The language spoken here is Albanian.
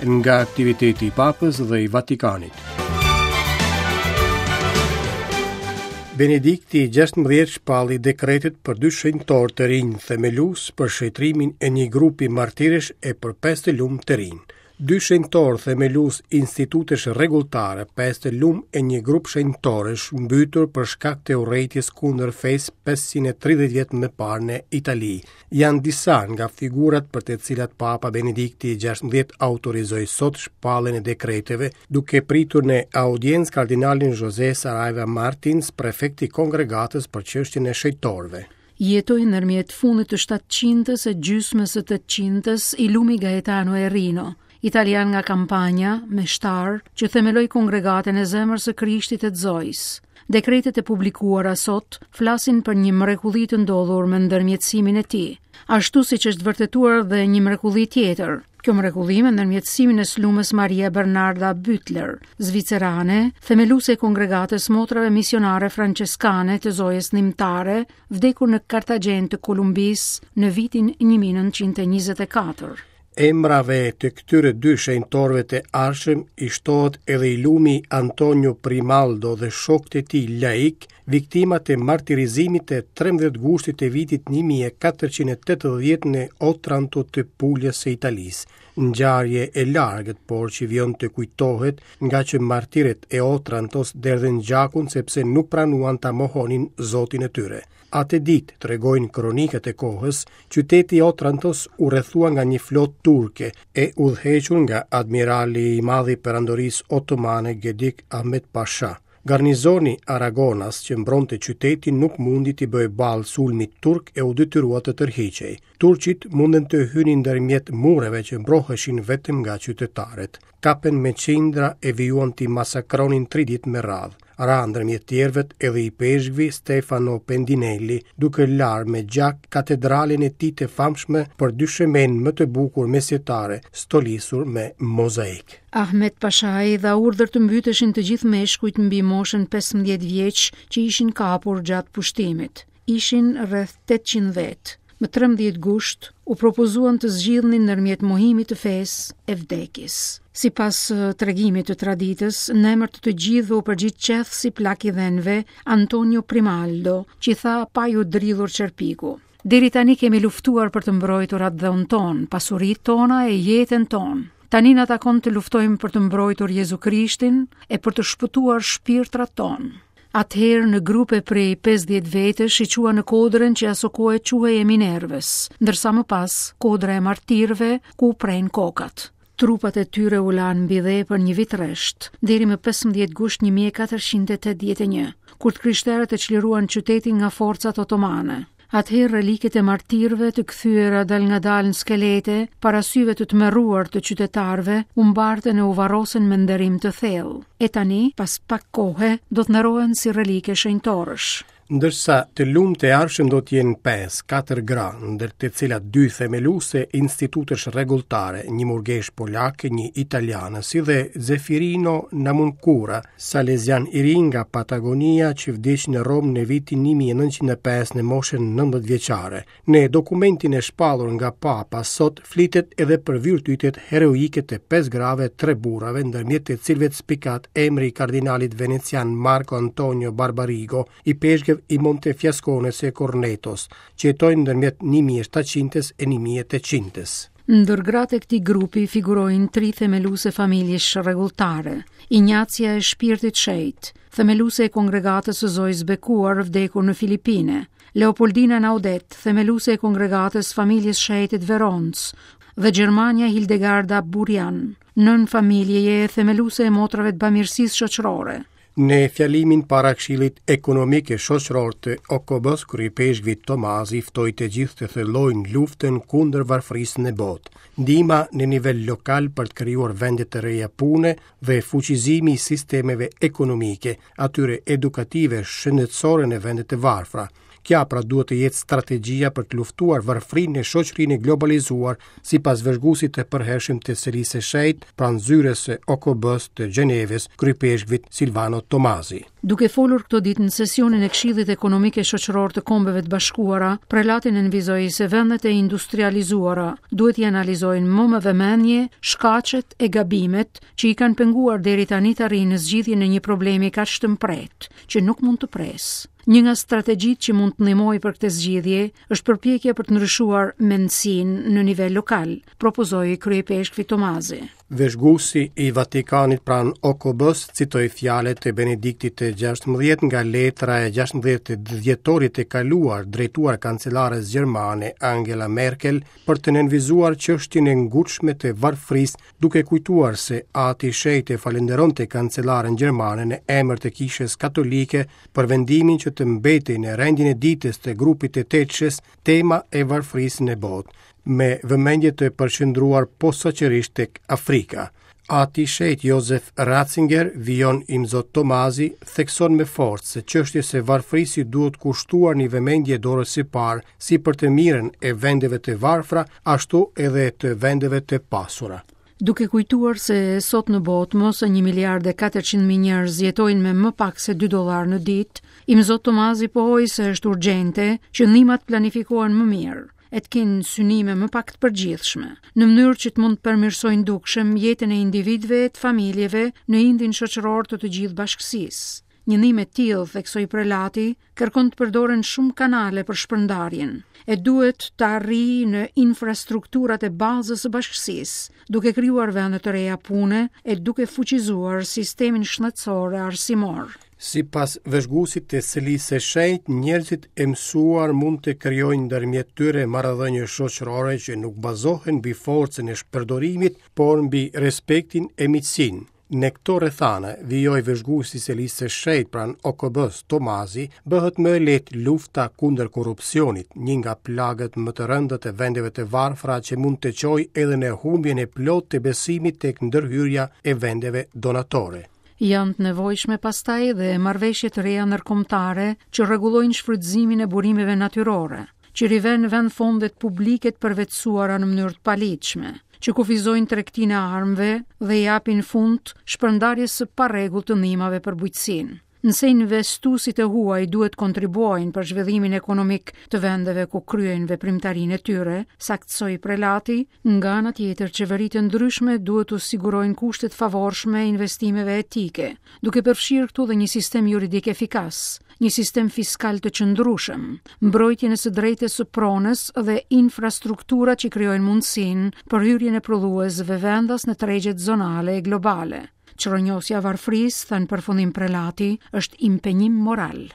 Nga aktiviteti i Papës dhe i Vatikanit. Benedikti i 16 shpalli dekretet për dy shenjtorë të rinj themelues për shenjtërimin e një grupi martirësh e për pesë të lumë të rinj. Dy shenjtorë themelues institutesh rregulltare, pesë të lumë e një grup shenjtorësh mbytur për shkak të urrejtjes kundër fesë 530 vjet më parë në Itali. Janë disa nga figurat për të cilat Papa Benedikti i 16 autorizoi sot shpalljen e dekreteve, duke pritur në audiencë kardinalin José Saraiva Martins, prefekt i kongregatës për çështjen e shenjtorëve. Jetoi ndërmjet fundit të shtatëqindës e gjysmës së tetëqindës i lumi Gaetano Erino, italian nga Kampanja, meshtar, që themeloi kongregatën e Zemrës së Krishtit e të Zojës. Dekretet e publikuara sot flasin për një mrekulli të ndodhur me ndërmjetësimin e tij, ashtu siç është vërtetuar dhe një mrekulli tjetër. Kjo mrekulli me ndërmjetësimin e së lumës Maria Bernarda Bütler, zvicerane, themeluese e kongregatës Motrave Misionare Françeskane të Zojës Ndihmëtare, vdekur në Kartagjenë të Kolumbisë në vitin 1924. Emrave të këtyre dy shenjtorëve të ardhshëm i shtohet edhe i lumi Antonio Primaldo dhe shokët e tij laikë, viktima të martirizimit të 13 gushtit të vitit 1480 në Otranto të Puljes së Italisë. Ngjarje e largët, por që vijon të kujtohet, ngaqë martirët e Otrantos derdhën gjakun sepse nuk pranuan ta mohonin Zotin e tyre. Atë ditë, tregojnë kronikat e kohës, qyteti i Otrantos u rrethua nga një flotë turke, e udhëhequr nga admirali i madh i Perandorisë Otomane Gedik Ahmet Pasha. Garnizoni aragonas që mbronte qytetin nuk mundi t'i bëjë ballë sulmit turk e u detyrua të tërhiqej. Turqit mundën të hynin ndërmjet mureve që mbroheshin vetëm nga qytetarët. Kapën me qindra e vijuan t'i masakronin tri ditë me radhë. Ra ndërmjet tjerëvet edhe ipeshkvi Stefano Pendinelli, duke larë me gjak katedralen e tij të famshme për dyshemenë më të bukur mesjetare, stolisur me mozaik. Ahmet Pashai dha urdhër të mbyteshin të gjithë meshkujt mbi moshën 15 vjeç që ishin kapur gjatë pushtimit. Ishin rreth 800 vetë. Më 13 gusht u propozuan të zgjidhnin ndërmjet mohimit të fesë e vdekjes. Sipas tregimit të traditës, në emër të të gjithëve u përgjigj qethësi plak i dhenve, Antonio Primaldo, që i tha pa iu dridhur qerpiku. Deri tani kemi luftuar për të mbrojtur atdheun tonë, pasuritë tona e jetën tonë. Tani na takon të luftojmë për të mbrojtur Jezu Krishtin e për të shpëtuar shpirtrat tonë. Atëherë në grupe prej 50 vetësh i çuan në kodrën që asokohe quhej e Minervës, ndërsa më pas kodra e martirëve ku u prenë kokat. Trupat e tyre u lanë mbi dhe për një vit rresht, deri më 15 gusht 1481, kur të krishterët e çliruan qytetin nga forcat otomane. Atëherë reliket e martirëve të kthyera dalëngadalë në skelete, para syve të tmerruar të qytetarëve, u mbartën e u varrosën me nderim të thellë. E tani, pas pak kohe, do të nderohen si relike shenjtorësh. Ndërsa të lumtë e ardhshëm do të jenë 5, 4 gra, ndër të cilat dy themeluese institutesh rregulltare, një murgeshë polake, një italiane, si dhe Zefirino Namuncura, Salezian i ri nga Patagonia që vdiq në Romë në vitin 1905 në moshën 19 vjeçare. Në dokumentin e shpallur nga Papa sot flitet edhe për virtytet heroike të pesë grave e tre burrave, ndërmjet të cilëve spikat emri i kardinalit venecian Marco Antonio Barbarigo, ipeshkëv i Montefiascones e Cornetos, që jetoi ndërmjet 1700-s e 1800-s. Ndër gratë e këtij grupi figurojnë tri themeluese familjesh rregulltare, Injacia e Shpirtit Shenjt, themeluese e kongregatës së Zojës Bekuar vdekur në Filipine, Leopoldina Naudet, themeluese e kongregatës Familjes Shenjte të Veronës, dhe gjermanja Hildegarda Burjan, nënë familjeje e themeluese e motrave të bamirësisë shoqërore. Në fjalimin para Këshillit Ekonomik e Shoqëror të OKB-së, kryeipeshkvi Tomazi ftoi të gjithë të thellojnë luftën kundër varfërisë në botë. Ndihma në nivel lokal për të krijuar vende të reja pune dhe fuqizimi i sistemeve ekonomike, atyre edukative, shëndetësore në vendet e varfra. Kjo pra duhet të jetë strategjia për të luftuar varfërinë në shoqërinë e globalizuar, sipas vëzhguesit të përhershëm të Selisë së Shenjtë pranë zyrës së OKB-së të Gjenevës, kryepeshkvit Silvano Tomazi. Duke folur këto ditë në sesionin e Këshillit Ekonomik e Shoqëror të Kombeve të Bashkuara, prelati nënvizoi se vendet e industrializuara duhet t'i analizojnë më me vëmendje shkaqet e gabimet që i kanë penguar deri tani të arrijnë në zgjidhjen e një problemi kaq të mprehtë, që nuk mund të presë. Një nga strategjitë që mund të ndihmojë për këtë zgjidhje është përpjekja për të ndryshuar mendësinë në nivel lokal, propozoi kryeipeshkvi Tomazi. Vëzhguesi i Vatikanit pranë OKB-së citoi fjalët e Benediktit të 16 nga letra e 16 dhjetorit të kaluar drejtuar kancelares gjermane Angela Merkel për të nënvizuar çështjen e ngutshme të varfërisë duke kujtuar se Ati i Shenjtë e falënderonte kancelaren gjermane në emër të Kishës Katolike për vendimin që të mbetej në rendin e ditës të grupit të tetëshes tema e varfërisë në botë, me vëmendje të përqendruar posaçërisht tek Afrika. Ati i Shenjtë Jozef Ratzinger, vijon Imzot Tomazi, thekson me forcë se çështjes së varfërisë i duhet kushtuar një vëmendje e dorës së parë, si për të mirën e vendeve të varfra, ashtu edhe të vendeve të pasura. Duke kujtuar se sot në botë më se 1 miliard e 400 mijë njerëz jetojnë me më pak se 2 dollarë në ditë, Imzot Tomazi pohoi se është urgjente që ndihmat planifikohen më mirë e të kenë synime më pak të përgjithshme, në mënyrë që të mund të përmirësojnë dukshëm jetën e individëve e të familjeve në indin shoqëror të të gjithë bashkësisë. Një ndihmë e tillë, theksoi prelati, kërkon të përdoren shumë kanale për shpërndarjen, e duhet të arrijë në infrastrukturat e bazës së bashkësisë, duke krijuar vende të reja pune e duke fuqizuar sistemin shëndetësor e arsimor. Sipas vëzhguesit të Selisë së Shenjtë, njerëzit e mësuar mund të krijojnë ndërmjet tyre marrëdhënie shoqërore që nuk bazohen mbi forcën e shpërdorimit, por mbi respektin e miqësinë. Në këto rrethana, vijoi vëzhguesi i Selisë së Shenjtë pranë OKB-së, Tomazi, bëhet më e lehtë lufta kundër korrupsionit, një nga plagët më të rënda të vendeve të varfra që mund të çojë edhe në humbjen e plotë të besimit tek ndërhyrja e vendeve donatore. Janë të nevojshme pastaj dhe marrëveshje të reja ndërkombëtare që rregullojnë shfrytëzimin e burimeve natyrore, që rivenë në vend fondet publike të përvetësuara në mënyrë të paligjshme, që kufizojnë tregtinë e armëve dhe i japin fund shpërndarjes së parregullt të ndihmave për bujqësinë. Nëse investuesit e huaj duhet të kontribuojnë për zhvillimin ekonomik të vendeve ku kryejnë veprimtarinë e tyre, saktësoi prelati, nga ana tjetër qeveritë e ndryshme duhet t'u sigurojnë kushte të favorshme investimeve etike, duke përfshirë këtu dhe një sistem juridik efikas, një sistem fiskal të qëndrueshëm, mbrojtjen e së drejtës së pronës dhe infrastruktura që krijojnë mundësinë për hyrjen e prodhuesve vendas në tregjet zonale e globale. Çrrënjosja e varfërisë, tha në përfundim prelati, është impenjim moral.